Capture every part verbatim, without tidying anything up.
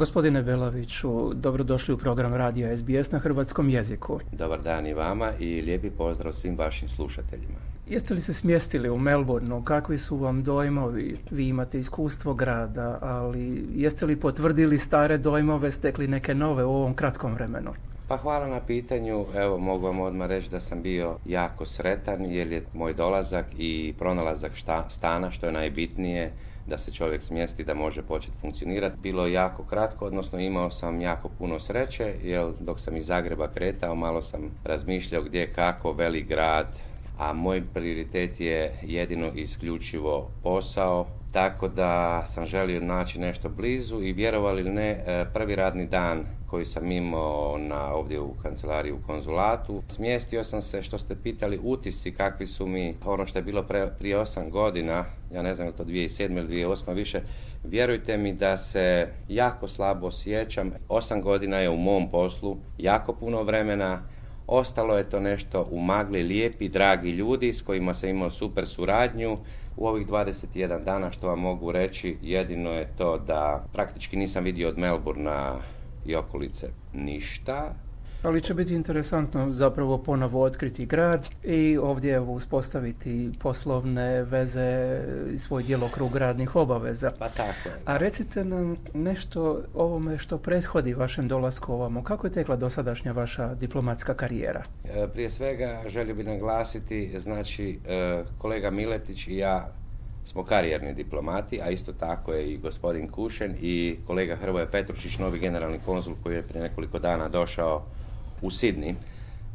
Gospodine Belaviću, dobrodošli u program Radija S B S na hrvatskom jeziku. Dobar dan i vama i lijepi pozdrav svim vašim slušateljima. Jeste li se smjestili u Melbourneu? Kakvi su vam dojmovi? Vi imate iskustvo grada, ali jeste li potvrdili stare dojmove, stekli neke nove u ovom kratkom vremenu? Pa hvala na pitanju. Evo, mogu vam odmah reći da sam bio jako sretan jer je moj dolazak i pronalazak šta, stana, što je najbitnije, da se čovjek smjesti, da može početi funkcionirati. Bilo je jako kratko, odnosno imao sam jako puno sreće, jer dok sam iz Zagreba kretao, malo sam razmišljao gdje, kako, velik grad, a moj prioritet je jedino i isključivo posao, tako da sam želio naći nešto blizu i vjerovali ili ne, prvi radni dan koji sam imao na, ovdje u kancelariji u konzulatu, smjestio sam se, što ste pitali, utisci kakvi su mi, ono što je bilo pre, prije osam godina, ja ne znam je li to dvije tisuće sedme ili dvije tisuće osme više, vjerujte mi da se jako slabo osjećam. Osam godina je u mom poslu, jako puno vremena, ostalo je to nešto u magli, lijepi, dragi ljudi s kojima sam imao super suradnju. U ovih dvadeset jedan dana što vam mogu reći, jedino je to da praktički nisam vidio od Melbournea i okolice ništa. Ali će biti interesantno zapravo ponovo otkriti grad i ovdje uspostaviti poslovne veze i svoj djelokrug radnih obaveza. Pa tako je. A recite nam nešto o ovome što prethodi vašem dolasku ovamo. Kako je tekla dosadašnja vaša diplomatska karijera? Prije svega želio bih naglasiti, znači kolega Miletić i ja smo karijerni diplomati, a isto tako je i gospodin Kušen i kolega Hrvoje Petrušić, novi generalni konzul koji je prije nekoliko dana došao u Sidni.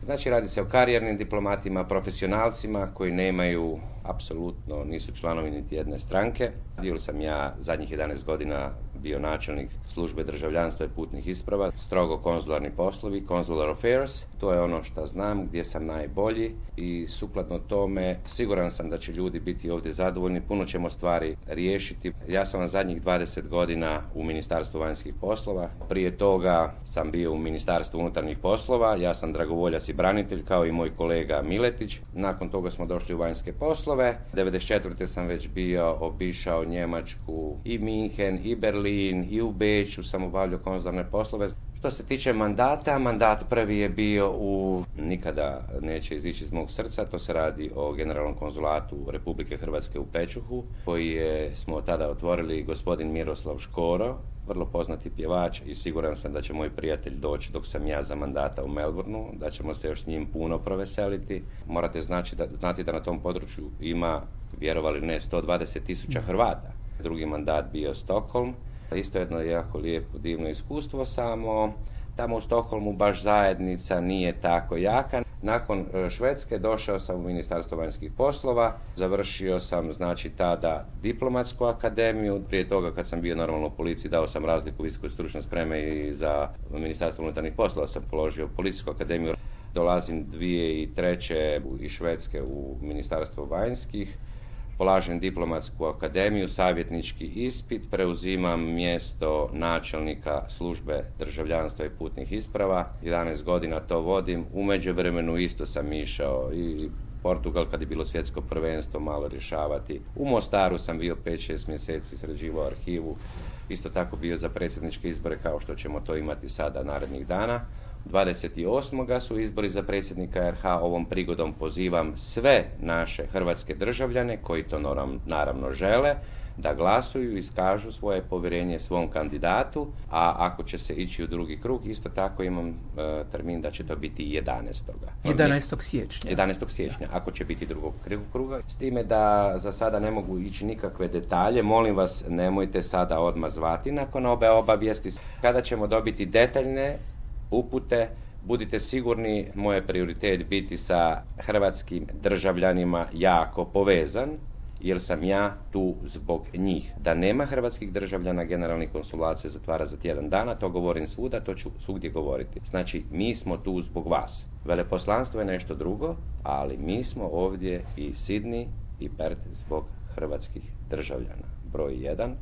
Znači radi se o karijernim diplomatima, profesionalcima koji nemaju, apsolutno nisu članovi niti jedne stranke. Bio sam ja zadnjih jedanaest godina bio načelnik službe državljanstva i putnih isprava, strogo konzularni poslovi, consular affairs, to je ono što znam, gdje sam najbolji i sukladno tome siguran sam da će ljudi biti ovdje zadovoljni, puno ćemo stvari riješiti. Ja sam vam zadnjih dvadeset godina u Ministarstvu vanjskih poslova, prije toga sam bio u Ministarstvu unutarnjih poslova, ja sam dragovoljac i branitelj kao i moj kolega Miletić, nakon toga smo došli u vanjske poslove, devedeset četvrte sam već bio obišao Njemačku i Minhen i Berlin i u Beču sam obavljao konzularne poslove. Što se tiče mandata, mandat prvi je bio u, nikada neće izići iz mog srca, to se radi o generalnom konzulatu Republike Hrvatske u Pečuhu, koji je, smo tada otvorili gospodin Miroslav Škoro, vrlo poznati pjevač i siguran sam da će moj prijatelj doći dok sam ja za mandata u Melbourneu, da ćemo se još s njim puno proveseliti. Morate znači da, znati da na tom području ima, vjerovali ne, sto dvadeset tisuća Hrvata. Drugi mandat bio Stockholm. Isto jedno jako lijepo, divno iskustvo, samo tamo u Stockholmu baš zajednica nije tako jaka. Nakon Švedske došao sam u Ministarstvo vanjskih poslova, završio sam znači tada diplomatsku akademiju, prije toga kad sam bio normalno u policiji dao sam razliku visokoj stručnoj spreme i za Ministarstvo unutarnjih poslova sam položio policijsku akademiju. Dolazim dvije tisuće treće iz Švedske u Ministarstvo vanjskih, polažem diplomatsku akademiju, savjetnički ispit, preuzimam mjesto načelnika službe državljanstva i putnih isprava, jedanaest godina to vodim, u međuvremenu isto sam išao i Portugal kad je bilo svjetsko prvenstvo malo rješavati. U Mostaru sam bio pet šest mjeseci, sređivao arhivu, isto tako bio za predsjedničke izbore kao što ćemo to imati sada narednih dana. dvadeset osmog su izbori za predsjednika R H. Ovom prigodom pozivam sve naše hrvatske državljane koji to naravno žele da glasuju i iskažu svoje povjerenje svom kandidatu, a ako će se ići u drugi krug, isto tako imam e, termin da će to biti jedanaestog jedanaestog siječnja. jedanaestog siječnja, ako će biti drugog kruga. S time da za sada ne mogu ići nikakve detalje, molim vas nemojte sada odmah zvati nakon ove obavijesti. Kada ćemo dobiti detaljne upute, budite sigurni, moj je prioritet biti sa hrvatskim državljanima jako povezan, jer sam ja tu zbog njih. Da nema hrvatskih državljana, generalni konzulat se zatvara za tjedan dana, to govorim svuda, to ću svugdje govoriti. Znači, mi smo tu zbog vas. Veleposlanstvo je nešto drugo, ali mi smo ovdje i Sidni i Perth zbog hrvatskih državljana. Broj jedan,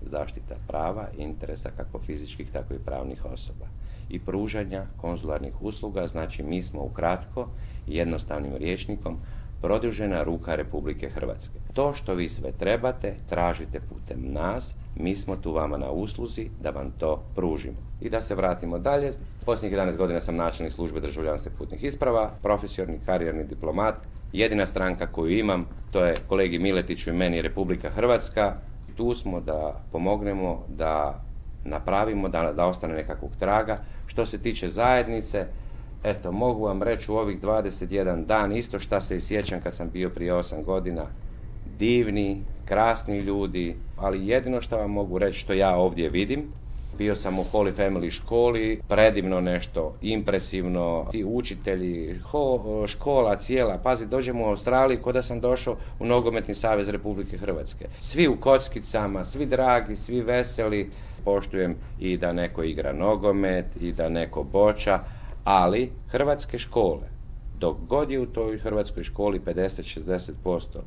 zaštita prava i interesa kako fizičkih, tako i pravnih osoba. I pružanja konzularnih usluga, znači mi smo ukratko, jednostavnim rječnikom, produžena ruka Republike Hrvatske. To što vi sve trebate, tražite putem nas, mi smo tu vama na usluzi da vam to pružimo. I da se vratimo dalje, posljednjih jedanaest godina sam načelnik službe državljanstva i putnih isprava, profesionalni karijerni diplomat, jedina stranka koju imam, to je kolegi Miletiću i meni Republika Hrvatska. Tu smo da pomognemo, da napravimo, da, da ostane nekakvog traga. Što se tiče zajednice, eto, mogu vam reći u ovih dvadeset jedan dan isto šta se i sjećam kad sam bio prije osam godina. Divni, krasni ljudi, ali jedino što vam mogu reći što ja ovdje vidim, bio sam u Holy Family školi, predivno nešto, impresivno, ti učitelji, ho, škola cijela, pazi, dođemo u Australiju ko da sam došao u Nogometni savez Republike Hrvatske. Svi u kockicama, svi dragi, svi veseli, poštujem i da neko igra nogomet i da neko boča, ali hrvatske škole, dok god je u toj hrvatskoj školi pedeset do šezdeset posto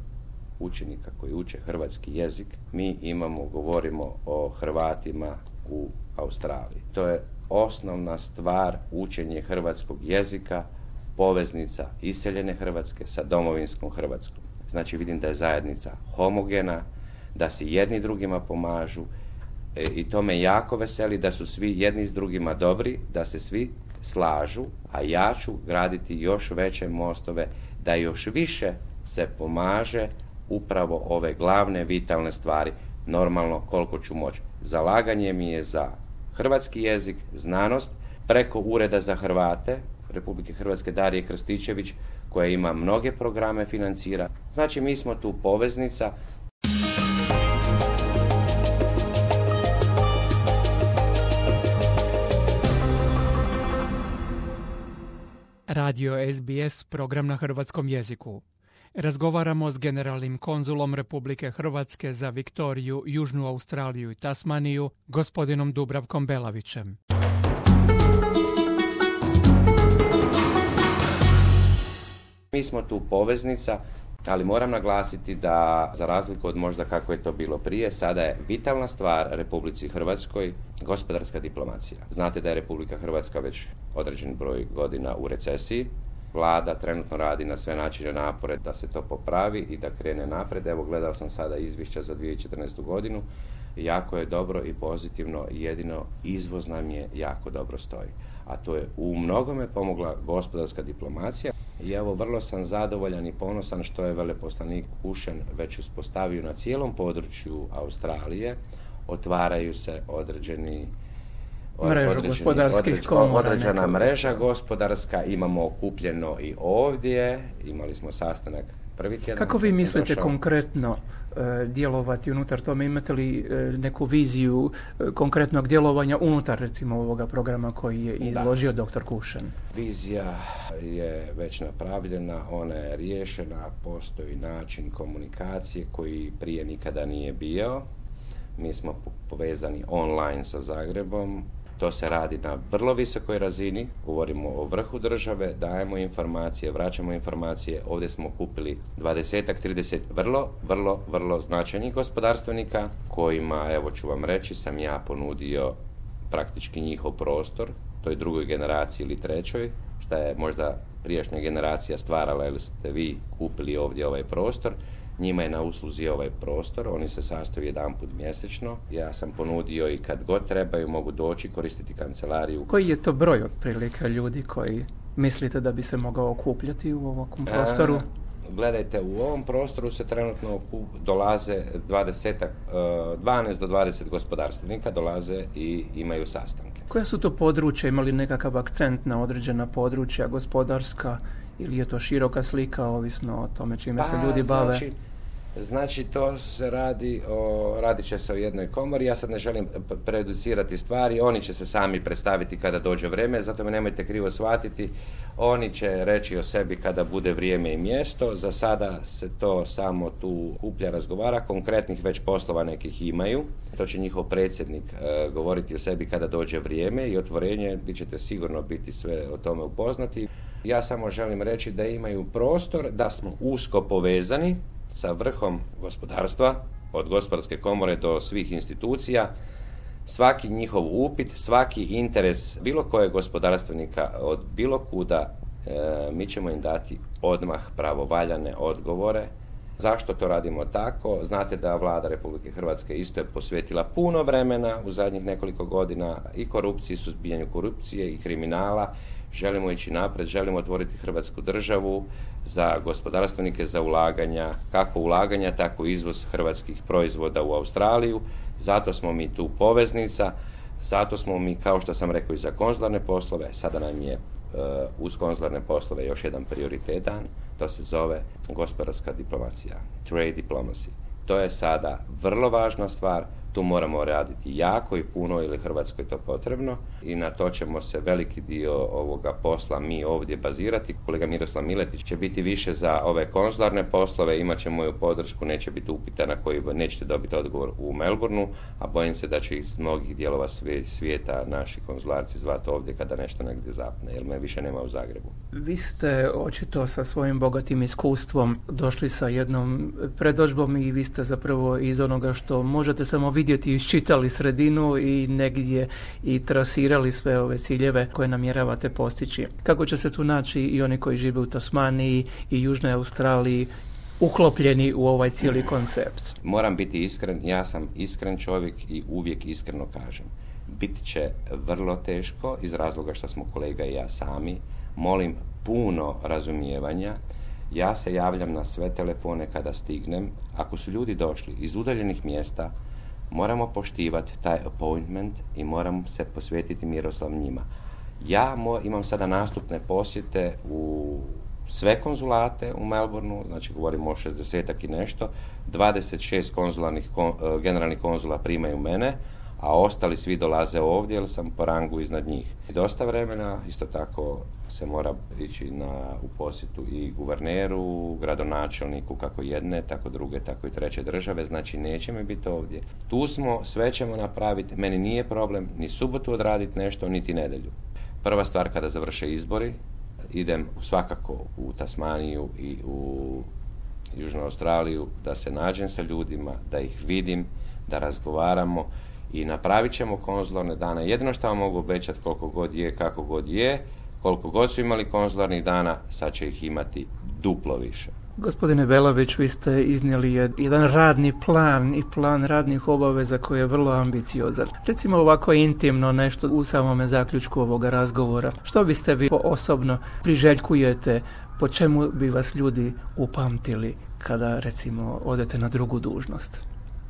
učenika koji uče hrvatski jezik, mi imamo, govorimo o Hrvatima u Australiji. To je osnovna stvar, učenje hrvatskog jezika, poveznica iseljene Hrvatske sa domovinskom Hrvatskom. Znači vidim da je zajednica homogena, da si jedni drugima pomažu e, i to me jako veseli da su svi jedni s drugima dobri, da se svi slažu, a ja ću graditi još veće mostove, da još više se pomaže upravo ove glavne vitalne stvari, normalno koliko ću moći. Zalaganje mi je za hrvatski jezik, znanost, preko Ureda za Hrvate Republike Hrvatske Darije Krstičević, koja ima mnoge programe, financira. Znači mi smo tu poveznica. Radio S B S, program na hrvatskom jeziku. Razgovaramo s generalnim konzulom Republike Hrvatske za Viktoriju, Južnu Australiju i Tasmaniju, gospodinom Dubravkom Belavićem. Mi smo tu poveznica, ali moram naglasiti da, za razliku od možda kako je to bilo prije, sada je vitalna stvar Republici Hrvatskoj gospodarska diplomacija. Znate da je Republika Hrvatska već određen broj godina u recesiji. Vlada trenutno radi na sve načine napore da se to popravi i da krene napred. Evo, gledao sam sada izvješća za dvije tisuće četrnaestu. godinu. Jako je dobro i pozitivno, jedino izvoz nam je jako dobro stoji. A to je u mnogome pomogla gospodarska diplomacija. I evo, vrlo sam zadovoljan i ponosan što je veleposlanik Kušen već uspostavio na cijelom području Australije. Otvaraju se određeni Mrežu gospodarskih komora. Određena mreža gospodarska, imamo okupljeno i ovdje, imali smo sastanak prvi tjedan. Kako vi mislite došao... konkretno e, djelovati unutar tome? Imate li e, neku viziju e, konkretnog djelovanja unutar recimo ovoga programa koji je izložio da. doktor Kušen? Vizija je već napravljena, ona je riješena, postoji način komunikacije koji prije nikada nije bio. Mi smo povezani online sa Zagrebom. To se radi na vrlo visokoj razini, govorimo o vrhu države, dajemo informacije, vraćamo informacije. Ovdje smo kupili dvadeset do trideset vrlo, vrlo, vrlo značajnih gospodarstvenika kojima, evo ću vam reći, sam ja ponudio praktički njihov prostor, toj drugoj generaciji ili trećoj, šta je možda prijašnja generacija stvarala ili ste vi kupili ovdje ovaj prostor. Njima je na usluzi ovaj prostor, oni se sastaju jedanput mjesečno. Ja sam ponudio i kad god trebaju mogu doći koristiti kancelariju. Koji je to broj otprilike ljudi koji mislite da bi se mogao okupljati u ovom prostoru? A, gledajte, u ovom prostoru se trenutno dolaze dvadeset, dvanaest do dvadeset gospodarstvenika dolaze i imaju sastanke. Koja su to područja, imali nekakav akcent na određena područja gospodarska? Ili je to široka slika, ovisno o tome čime pa, se ljudi bave? Znači, znači to se radi o, radit će se o jednoj komori. Ja sad ne želim preducirati stvari, oni će se sami predstaviti kada dođe vrijeme, zato me nemojte krivo shvatiti. Oni će reći o sebi kada bude vrijeme i mjesto. Za sada se to samo tu kuplja, razgovara. Konkretnih već poslova nekih imaju. To će njihov predsjednik e, govoriti o sebi kada dođe vrijeme i otvorenje. Vi ćete sigurno biti sve o tome upoznati. Ja samo želim reći da imaju prostor, da smo usko povezani sa vrhom gospodarstva, od gospodarske komore do svih institucija. Svaki njihov upit, svaki interes bilo kojeg gospodarstvenika od bilo kuda e, mi ćemo im dati odmah pravovaljane odgovore. Zašto to radimo tako? Znate da vlada Republike Hrvatske isto je posvetila puno vremena u zadnjih nekoliko godina i korupciji, suzbijanju korupcije i kriminala. Želimo ići naprijed, želimo otvoriti Hrvatsku državu za gospodarstvenike, za ulaganja, kako ulaganja, tako izvoz hrvatskih proizvoda u Australiju. Zato smo mi tu poveznica, zato smo mi, kao što sam rekao, i za konzularne poslove. Sada nam je uh, uz konzularne poslove još jedan prioritetan, to se zove gospodarska diplomacija, trade diplomacy. To je sada vrlo važna stvar, tu moramo raditi jako i puno, ili Hrvatskoj je to potrebno, i na to ćemo se veliki dio ovoga posla mi ovdje bazirati. Kolega Miroslav Miletić će biti više za ove konzularne poslove, imat će moju podršku, neće biti upita na koji nećete dobiti odgovor u Melbourneu, a bojim se da će iz mnogih dijelova svijeta naši konzularci zvati ovdje kada nešto negdje zapne, jer me više nema u Zagrebu. Vi ste očito sa svojim bogatim iskustvom došli sa jednom predodžbom i vi ste zapravo iz onoga što možete samo vidjeti iščitali sredinu i negdje i trasirali sve ove ciljeve koje namjeravate postići. Kako će se tu naći i oni koji žive u Tasmaniji i Južnoj Australiji uklopljeni u ovaj cijeli koncept? Moram biti iskren, ja sam iskren čovjek i uvijek iskreno kažem. Bit će vrlo teško iz razloga što smo kolega i ja sami. Molim puno razumijevanja. Ja se javljam na sve telefone kada stignem. Ako su ljudi došli iz udaljenih mjesta, moramo poštivati taj appointment i moram se posvetiti Miroslav njima. Ja mo- imam sada nastupne posjete u sve konzulate u Melbourneu, znači govorimo o šezdesetak i nešto, dvadeset šest konzularnih kon, generalnih konzula primaju mene, a ostali svi dolaze ovdje jer sam po rangu iznad njih. Dosta vremena, isto tako se mora ići na, u posjetu i guverneru, gradonačelniku, kako jedne, tako druge, tako i treće države, znači neće mi biti ovdje. Tu smo, sve ćemo napraviti, meni nije problem ni subotu odraditi nešto, niti nedjelju. Prva stvar kada završe izbori, idem svakako u Tasmaniju i u Južnu Australiju, da se nađem sa ljudima, da ih vidim, da razgovaramo i napravit ćemo konzularne dane. Jedino što vam mogu obećati, koliko god je, kako god je, koliko god su imali konzularnih dana, sad će ih imati duplo više. Gospodine Belavić, vi ste iznijeli jedan radni plan i plan radnih obaveza koji je vrlo ambiciozan. Recimo ovako intimno nešto u samome zaključku ovoga razgovora. Što biste vi osobno priželjkujete, po čemu bi vas ljudi upamtili kada recimo odete na drugu dužnost?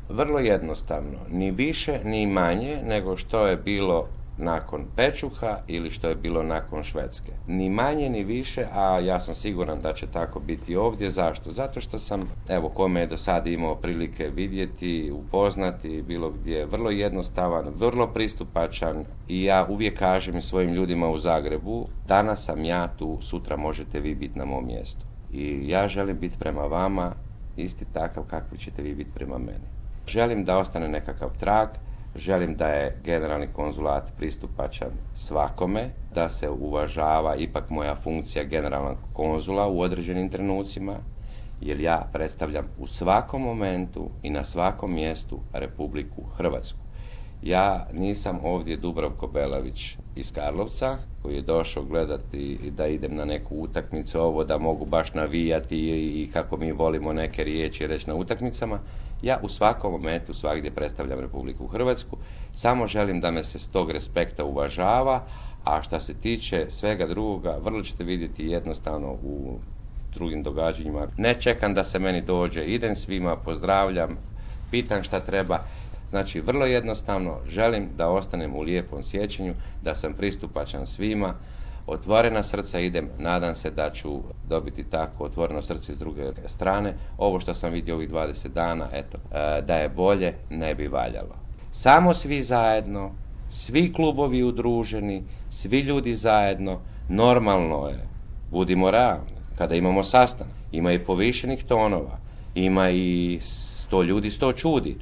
Vrlo jednostavno, ni više ni manje nego što je bilo nakon Pečuha ili što je bilo nakon Švedske. Ni manje ni više, a ja sam siguran da će tako biti ovdje. Zašto? Zato što sam, evo, kome je do sada imao prilike vidjeti, upoznati, bilo gdje, vrlo jednostavan, vrlo pristupačan i ja uvijek kažem svojim ljudima u Zagrebu, danas sam ja tu, sutra možete vi biti na mom mjestu. I ja želim biti prema vama isti takav kakvi ćete vi biti prema meni. Želim da ostane nekakav trag, želim da je generalni konzulat pristupačan svakome, da se uvažava ipak moja funkcija generalnog konzula u određenim trenucima, jer ja predstavljam u svakom momentu i na svakom mjestu Republiku Hrvatsku. Ja nisam ovdje Dubravko Belavić iz Karlovca, koji je došao gledati da idem na neku utakmicu, ovo da mogu baš navijati i kako mi volimo neke riječi reći na utakmicama. Ja u svakom momentu svagdje predstavljam Republiku Hrvatsku, samo želim da me se s tog respekta uvažava, a što se tiče svega drugoga, vrlo ćete vidjeti jednostavno u drugim događanjima. Ne čekam da se meni dođe, idem svima, pozdravljam, pitam šta treba. Znači, vrlo jednostavno, želim da ostanem u lijepom sjećanju, da sam pristupačan svima, otvorena srca idem, nadam se da ću dobiti tako otvoreno srce s druge strane. Ovo što sam vidio ovih dvadeset dana, eto, da je bolje ne bi valjalo. Samo svi zajedno, svi klubovi udruženi, svi ljudi zajedno, normalno je, budimo realni, kada imamo sastanak, ima i povišenih tonova, ima i sto ljudi, sto čudi,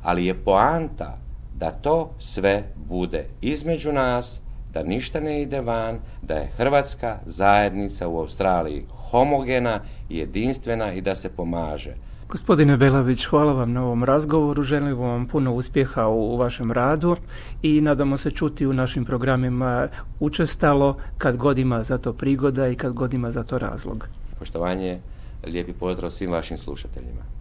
ali je poanta da to sve bude između nas, da ništa ne ide van, da je Hrvatska zajednica u Australiji homogena i jedinstvena i da se pomaže. Gospodine Belavić, hvala vam na ovom razgovoru, želim vam puno uspjeha u vašem radu i nadamo se čuti u našim programima učestalo kad god ima za to prigoda i kad god ima za to razlog. Poštovanje, lijepi pozdrav svim vašim slušateljima.